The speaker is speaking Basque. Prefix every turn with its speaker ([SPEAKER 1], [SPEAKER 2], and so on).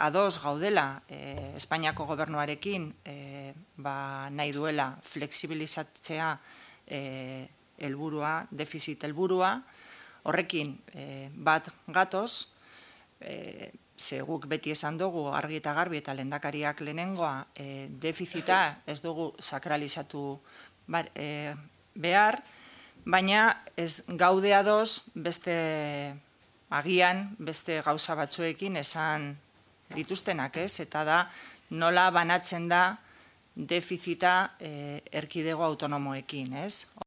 [SPEAKER 1] ados gaudela Espainiako gobernuarekin nahi duela flexibilizatzea helburua, defizit helburua, horrekin bat gatoz, ze guk beti esan dugu argi eta garbi eta lehendakariak lehenengoa defizita ez dugu sakralizatu behar, baina ez gaude ados agian beste gauza batzuekin esan dituztenak, ez? Eta da nola banatzen da defizita erkidego autonomoekin, ez?